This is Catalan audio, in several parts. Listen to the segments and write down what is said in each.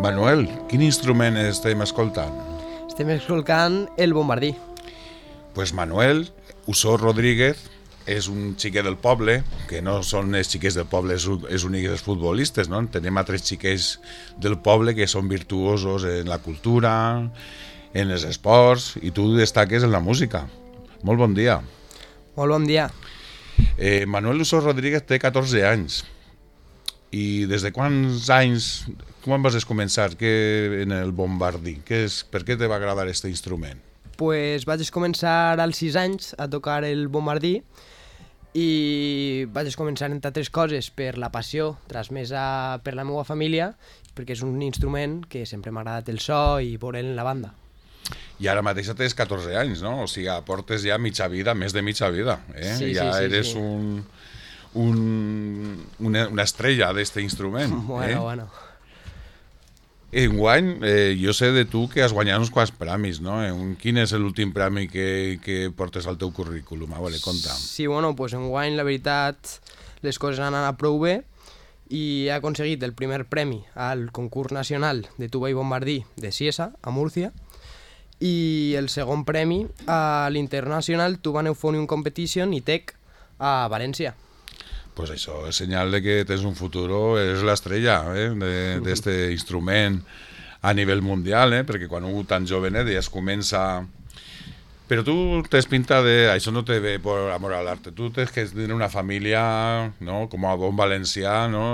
Manuel, quin instrument estem escoltant? Estem escoltant el bombardí. Pues Manuel Usó Rodríguez és un xiquet del poble, que no són els xiquets del poble, és únic dels futbolistes, no? Tenim altres xiquets del poble que són virtuosos en la cultura, en els esports, i tu destaques en la música. Molt bon dia. Molt bon dia. Manuel Usó Rodríguez té 14 anys. I des de quants anys, quan vas començar en el bombardí? Per què te va agradar aquest instrument? Pues vaig començar als 6 anys a tocar el bombardí i vaig començar, entre altres coses, per la passió transmesa per la meva família, perquè és un instrument que sempre m'ha agradat el so i veure'l en la banda. I ara mateix tens 14 anys, no? O sigui, portes ja mitja vida, més de mitja vida. Sí, ja sí, eres sí. una estrella d'aquest instrument. Bueno. Enguany, jo sé de tu que has guanyat uns quants premis, no? Quin és l'últim premi que portes al teu currículum? A veure, conta'm. Sí, pues enguany, la veritat, les coses han anat prou bé i he aconseguit el primer premi al concurs nacional de tuba i bombardí de Ciesa, a Múrcia, i el segon premi a l'International Tuba Euphonium Competition ITEC a València. Pues això és senyal de que tens un futur, eres l'estrella d'aquest instrument a nivell mundial, perquè quan un tan jovenet ja es comença... Però tu tens pinta de... Això no te ve per amor a l'arte, tu tens que tenir una família, no? Com a bon valencià, no?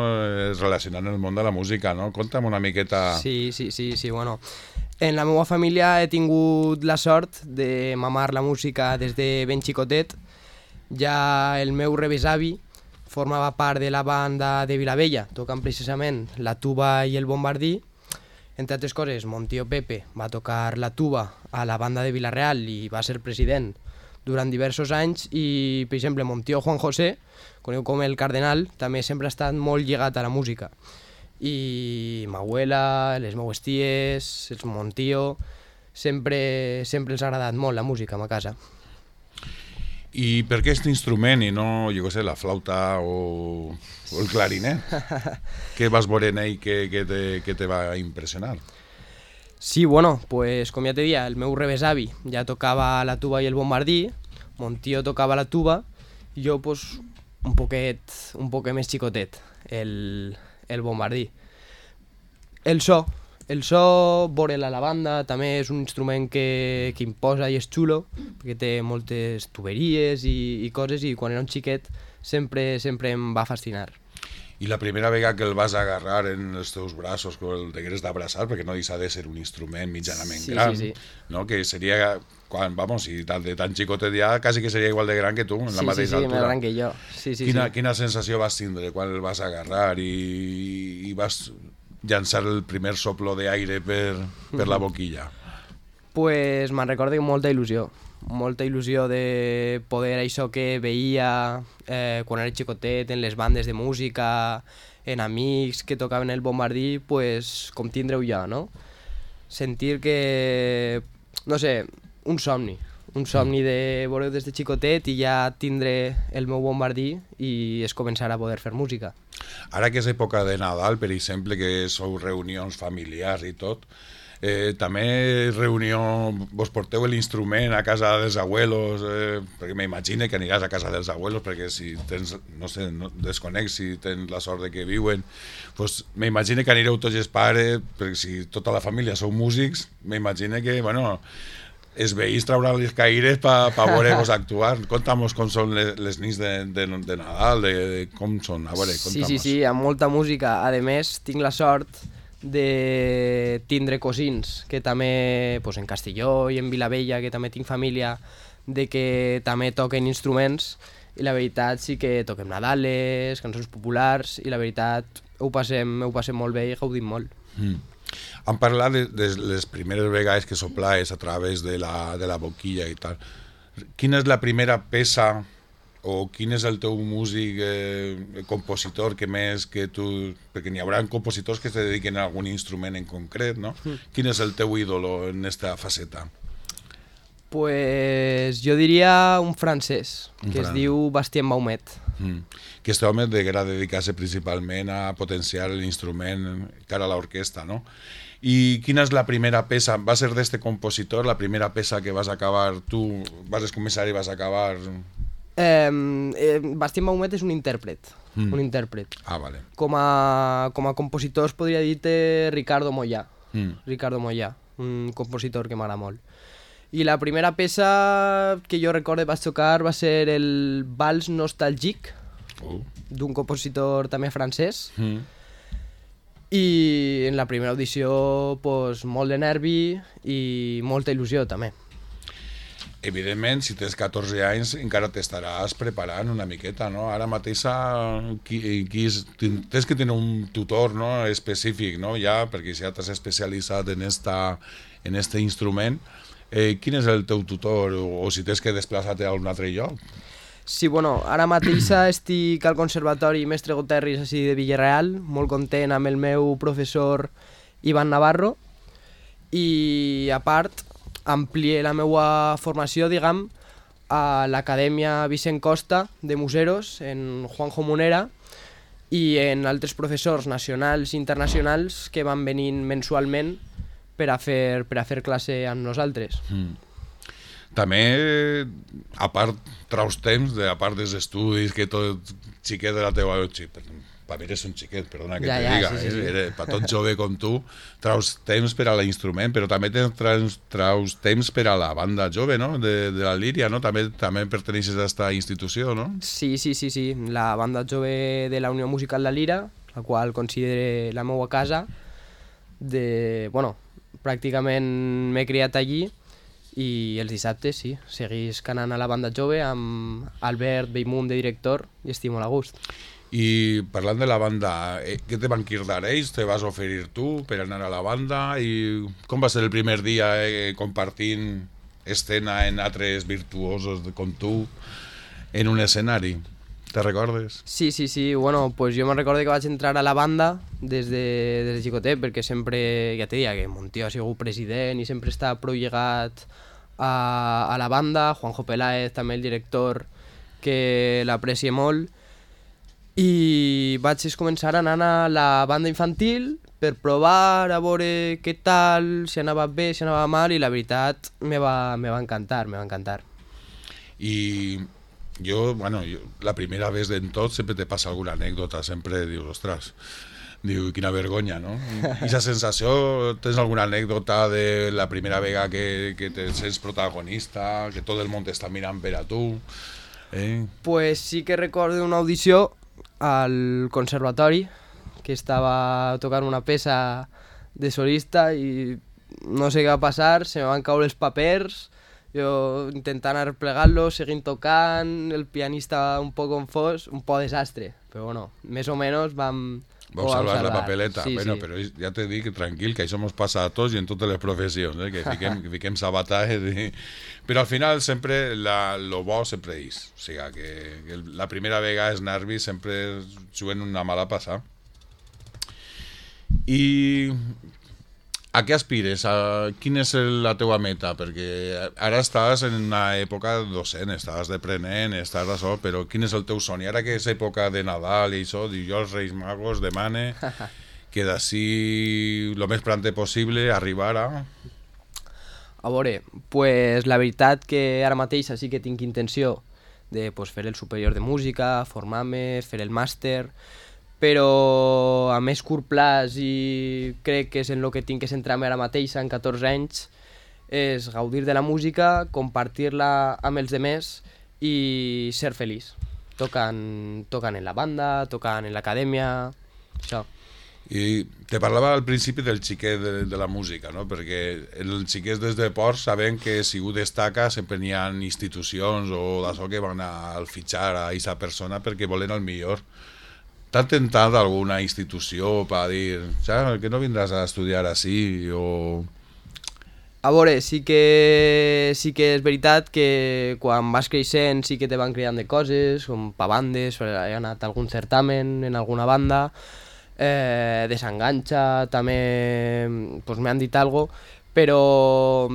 Relacionant el món de la música, no? Conta'm una miqueta... Sí, bueno. En la meva família he tingut la sort de mamar la música des de ben xicotet. Ja el meu rebesavi formava part de la banda de Vilavella, tocant precisament la tuba i el bombardí. Entre altres coses, mon tio Pepe va tocar la tuba a la banda de Vila-real i va ser president durant diversos anys, i, per exemple, mon tio Juan José, conegut com el Cardenal, també sempre ha estat molt lligat a la música. I ma abuela, les meues ties, mon tio, sempre els ha agradat molt la música a ma casa. I per què aquest instrument i no, jo què sé, la flauta o el clarinet? Què vas veure en ell que te va impressionar? Sí, pues com ja te dia, el meu rebesavi ja tocava la tuba i el bombardí, mon tio tocava la tuba, i jo pues, un poquet més xicotet, el bombardí. El so, veure'l a la banda, també és un instrument que imposa i és xulo, perquè té moltes tuberies i coses, i quan era un xiquet sempre em va fascinar. I la primera vegada que el vas agarrar en els teus braços, que el t'hagués d'abraçar, perquè no deixa de ser un instrument mitjanament gran, sí. No? Que seria, si de tan xicotet ja, quasi que seria igual de gran que tu, en la mateixa altura. Sí, més gran que jo. Sí. Quina sensació vas tindre quan el vas agarrar i vas llançar el primer soplo d'aire per la boquilla? Pues me'n recordo molta il·lusió de poder això que veia quan era xicotet en les bandes de música, en amics que tocaven el bombardí, pues com tindre-ho ja, no? Sentir que, no sé, un somni de veure des de xicotet i ja tindre el meu bombardí i es començar a poder fer música. Ara que és època de Nadal, per exemple, que sou reunions familiars i tot, també vos porteu l'instrument a casa dels abuelos, perquè m'imagino que aniràs a casa dels abuelos, perquè si tens, no sé, desconec si tens la sort de que viuen, pues m'imagino que anireu tots els pares, perquè si tota la família sou músics, m'imagino que, els veïns trauran les caires per veure-vos actuar. Conta'm com són les nits de Nadal, com són, a veure, conta'm. Sí, amb molta música. A més, tinc la sort de tindre cosins que també, en Castelló i en Vilavella, que també tinc família, de que també toquen instruments, i la veritat sí que toquem Nadales, cançons populars, i la veritat ho passem molt bé i gaudim molt. Hem parlat de les primeres vegades que soplaves a través de la boquilla i tal. Quina és la primera peça o quin és el teu músic, compositor que més que tu... Perquè n'hi haurà compositors que es dediquen a algun instrument en concret, no? Quin és el teu ídolo en esta faceta? Pues jo diria un francès, que es diu Bastien Baumet. Que este home deguera dedicar-se principalment a potenciar l'instrument cara a l'orquestra, no? I quina és la primera peça? Va ser d'este compositor la primera peça que vas acabar tu? Vas començar i vas acabar... Bastien Baumet és un intèrpret. Un intèrpret. Ah, vale. Com a compositor es podria dir Ricardo Moyà. Ricardo Moyà, un compositor que m'agrada molt. I la primera peça que jo recordo vaig tocar va ser el Vals Nostalgique, d'un compositor també francès. I en la primera audició pues, molt de nervi i molta il·lusió també. Evidentment, si tens 14 anys encara t'estaràs preparant una miqueta, no? Ara mateix tens que tenir un tutor, no? Específic, no? Ja, perquè ja t'has especialitzat en este instrument. Quin és el teu tutor o si tens que desplaçar-te a un altre lloc? Sí, bueno, ara mateix estic al Conservatori Mestre Goterris així de Villarreal, molt content amb el meu professor Ivan Navarro, i a part amplié la meva formació, diguem, a l'Acadèmia Vicent Costa de Museros, en Juanjo Munera, i en altres professors nacionals i internacionals que van venint mensualment per a fer classe amb nosaltres. També, a part, traus temps, a part dels estudis, que tot xiquet de la teva... Per mi eres un xiquet, perdona que te diga, sí. Per tot jove com tu, traus temps per a l'instrument, però també traus temps per a la banda jove, no?, de la Líria, no? També perteneixes a aquesta institució, no? Sí, la banda jove de la Unió Musical La Lira, la qual considero la meva casa, pràcticament m'he criat allí, i els dissabtes, sí, seguís canant a la banda jove amb Albert Bellmunt de director i estic molt a gust. I parlant de la banda, què te van cridar ells? Te vas oferir tu per anar a la banda? I com va ser el primer dia compartint escena en altres virtuosos com tu en un escenari? Te recordes? Sí, bueno, pues jo me'n recordo que vaig entrar a la banda des de xicotet, perquè sempre, ja te deia, que mon tio ha sigut president i sempre està prou llegat a la banda, Juanjo Peláez, també el director, que l'aprecia molt, i vaig començar anant a la banda infantil per provar, a veure què tal, si anava bé, si anava mal, i la veritat me va encantar. I jo, la primera vez en tot sempre te passa alguna anècdota, sempre dius, ostres, quina vergonya, no? I aquesta sensació, tens alguna anècdota de la primera vegada que te sents protagonista, que tot el món t'està mirant per a tu? Pues sí que recordo una audició al conservatori, que estava tocant una peça de solista i no sé què va passar, se me van caure els papers, jo intentant arreplegar-los, seguint tocant, el pianista un poc confós, un poc desastre, però bueno, més o menys vam salvar la papeleta. Sí. Però ja t'he dit que tranquil, que això ens passa a tots i en totes les professions, que fiquem sabatatges. Però al final sempre lo bo sempre és. O sigui, que la primera vegada els nervis sempre juguen una mala passada. I a què aspires? Quina és la teua meta? Perquè ara estàs en una època docent, estàs d'aprenent, estàs d'això, però quin és el teu somni? Ara que és època de Nadal i això, diu jo als Reis Magos demane que d'ací el més prompte possible arribar a... A veure, pues la veritat que ara mateix sí que tinc intenció de fer el superior de música, formar-me, fer el màster, però a més curt plaç i crec que és en el que tinc que centrar-me ara mateix en 14 anys és gaudir de la música, compartir-la amb els demés i ser feliç, tocant en la banda, tocant en l'acadèmia, això. I te parlava al principi del xiquet de la música, no? Perquè els xiquets des de Ports saben que si un destaca sempre n'hi ha institucions o d'això que van a fitxar a aquesta persona perquè volen el millor. T'ha tentat alguna institució per dir, que no vindràs a estudiar així o... A veure, sí que és veritat que quan vas creixent sí que te van creant de coses, com pa bandes, he anat a algun certamen en alguna banda, Desenganxa també pues, m'han dit algo, però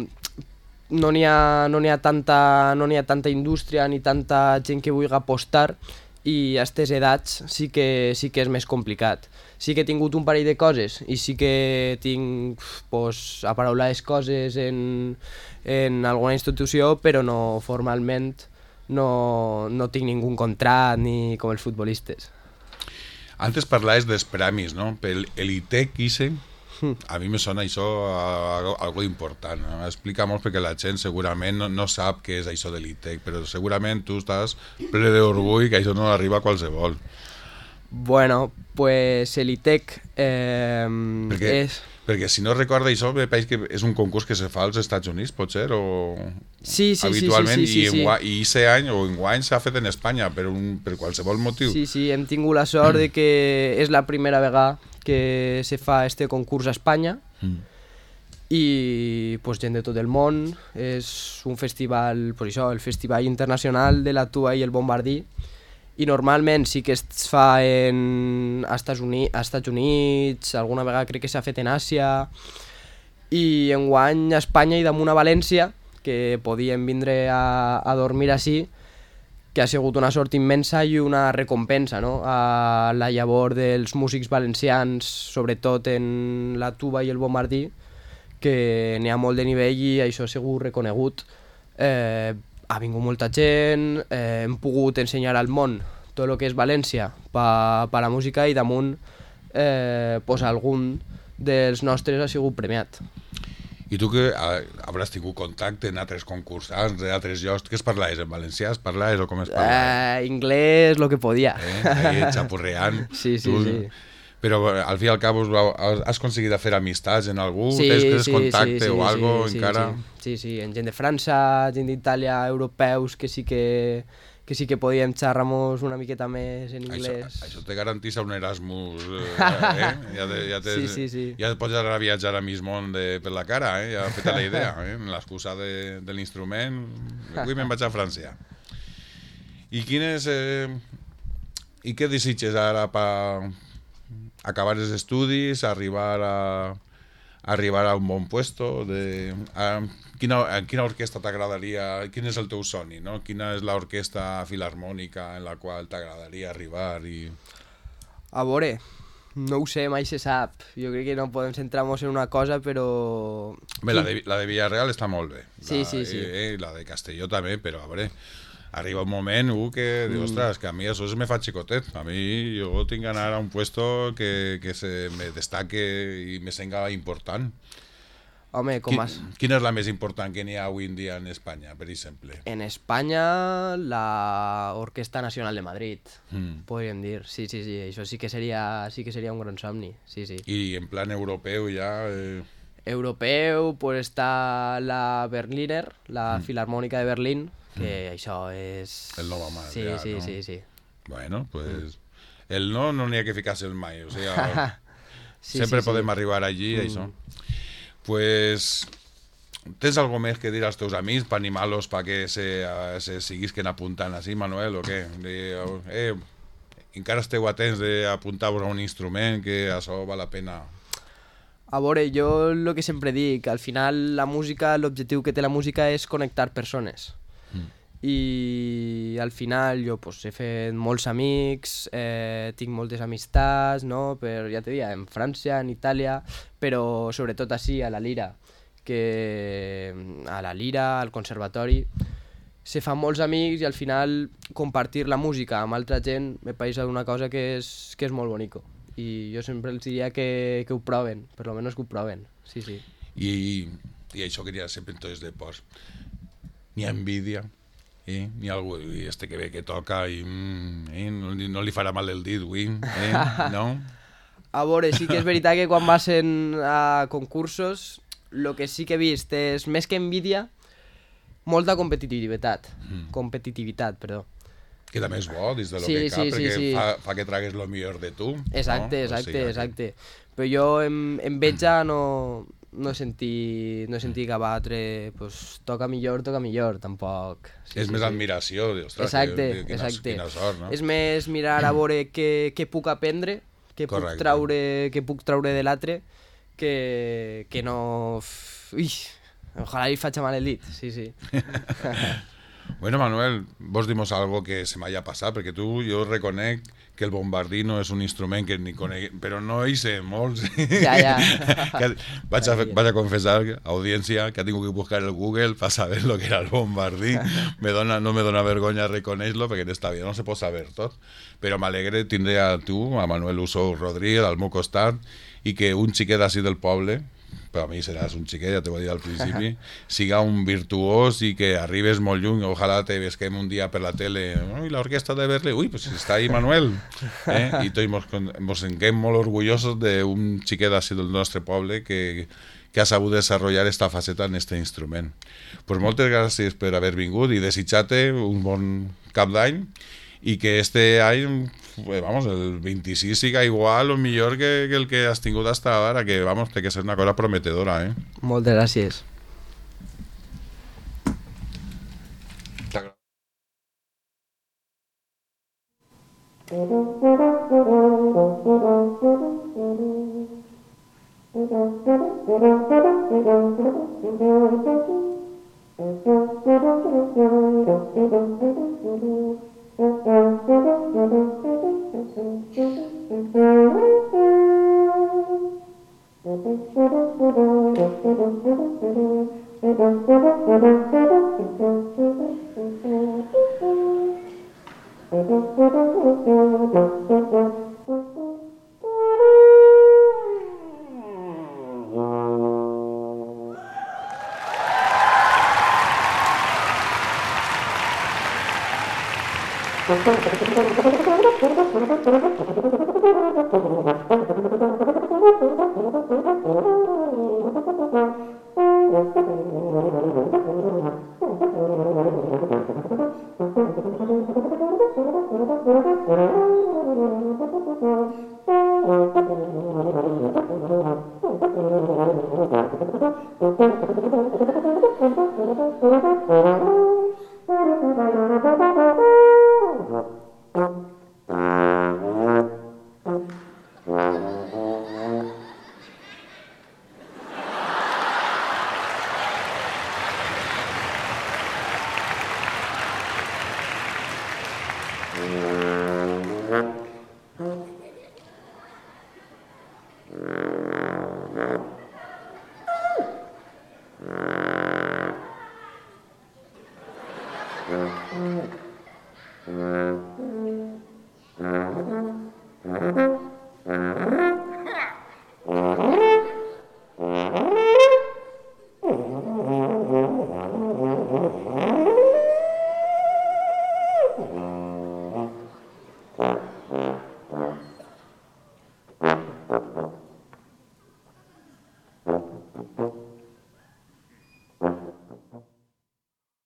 no n'hi ha tanta indústria ni tanta gent que vulgui apostar i a aquestes edats sí que és més complicat. Sí que he tingut un parell de coses i sí que tinc pues, aparaulades coses en alguna institució, però no formalment no tinc ningú contrat ni com els futbolistes. Antes parlaves dels premis, no? Pel l'ITEC, a mi me sona això algo important. No? Explica molt perquè la gent segurament no sap què és això de l'ITEC, però segurament tu estàs ple d'orgull que això no arriba a qualsevol. Bueno, pues l'ITEC és... Perquè si no recorda això, me pareix que és un concurs que se fa als Estats Units, pot ser? O... Sí, habitualment, sí. I aquest any o enguany s'ha fet en Espanya, per qualsevol motiu. Sí, hem tingut la sort de que és la primera vegada que se fa este concurs a Espanya i pues, gent de tot el món. És un festival, pues això, el Festival Internacional de la Tuba i el Bombardí, i normalment sí que es fa a Estats Units, alguna vegada crec que s'ha fet en Àsia, i enguany a Espanya i damunt a València, que podíem vindre a dormir així, que ha sigut una sort immensa i una recompensa, no? A la llavor dels músics valencians, sobretot en la tuba i el bombardí, que n'hi ha molt de nivell i això ha sigut reconegut. Ha vingut molta gent, hem pogut ensenyar al món tot el que és València per la música i damunt pues algun dels nostres ha sigut premiat. I tu que hauràs tingut contacte en altres concursants, en altres llocs, què es parlaves en valencià? Es parlaves o com es parlaves? Inglès, lo que podia. Ahí xapurreant. Sí. Però al fi i al cap has aconseguit fer amistats en algú? Tens contacte o algo encara? Sí, en gent de França, gent d'Itàlia, europeus, que sí que podíem xerrar-nos una miqueta més en anglès. Això te garantís un Erasmus, Sí. Ja pots anar a viatjar a mig món per la cara, ja feta la idea, l'excusa de l'instrument, avui me'n vaig a França. I què desitges ara per acabar els estudis, arribar a un bon puesto? Quina orquestra t'agradaria? Quin és el teu somni? No? Quina és l'orquestra filarmònica en la qual t'agradaria arribar? A veure, no ho sé, mai se sap. Jo crec que no podem centrar-nos en una cosa, però... Bé, la de Villarreal està molt bé. Sí. La de Castelló també, però a veure... Arriba un moment que dius, ostres, que a mi això se me fa xicotet. A mi jo tinc que anar a un puesto que se me destaque i me senga important. Home, com has... Quina és la més important que n'hi ha avui en dia en Espanya, per exemple? En Espanya, la Orquesta Nacional de Madrid, podríem dir. Sí, això sí que seria un gran somni, sí. I en plan europeu ja... Europeu, pues està la Berliner, la Filarmònica de Berlín, que això és... El no va mal, sí, ja, sí, no? Sí. Bueno, pues... El no n'hi ha que ficar-se el mai, o sigui... sempre sí. podem arribar allí, això. Pues... Tens algo més que dir als teus amics per animar-los perquè se siguisquen apuntant així, Manuel, o què? Encara esteu atents d'apuntar-vos a un instrument, que això val la pena... A veure, jo el que sempre dic, al final la música, l'objectiu que té la música és connectar persones. I al final jo pues, he fet molts amics, tinc moltes amistats, no? Ja te dic, en França, en Itàlia, però sobretot així, a la Lira, al conservatori, se fan molts amics i al final compartir la música amb altra gent me pareix una cosa que és molt bonico. I jo sempre els diria que ho proven, per lo menos que ho proven, sí. I això que n'hi ha sempre en tots els deports. N'hi ha envidia, n'hi ha algú que ve que toca i no li farà mal el dit, no? A veure, sí que és veritat que quan vas a concursos, el que sí que he vist és, més que envidia, molta competitivitat. Perdó. Que també és bo, dins de lo Sí, que cap, sí, perquè sí. fa que tragues lo millor de tu. Exacte, no? exacte. Però jo en Betja no he sentit que batre, pues, toca millor, tampoc. És més admiració, ostres, Exacte. quina sort, no? És més mirar a veure què puc aprendre, què puc traure de l'altre, que no... Ui, ojalà li faig mal el dit, sí. Bueno, Manuel, vos dimos algo que se m'haya passat, perquè jo reconec que el bombardí no és un instrument que ni conec, però no hi sé molts. Ja. Vaig a confessar, audiència, que ha tingut que buscar el Google para saber lo que era el bombardí. No me dona vergonya reconèixer-lo, perquè en esta vida no se pot saber tot. Però m'alegre tindre a tu, a Manuel Usó Rodríguez, al meu costat, i que un xiquet així del poble, però a mi seràs un xiquet, ja t'ho vaig dir al principi, siga un virtuós i que arribes molt lluny. Ojalà te vesquem un dia per la tele, i l'orquestra de Berlín, pues està ahí Manuel. I tots ens sentim molt orgullosos d'un xiquet així del nostre poble que ha sabut desenvolupar esta faceta en este instrument. Pues moltes gràcies per haver vingut i desitjar-te un bon cap d'any i que este any, vamos, el 26 siga igual o millor que el que has tingut hasta ara, que vamos, té que ser una cosa prometedora, Moltes gràcies.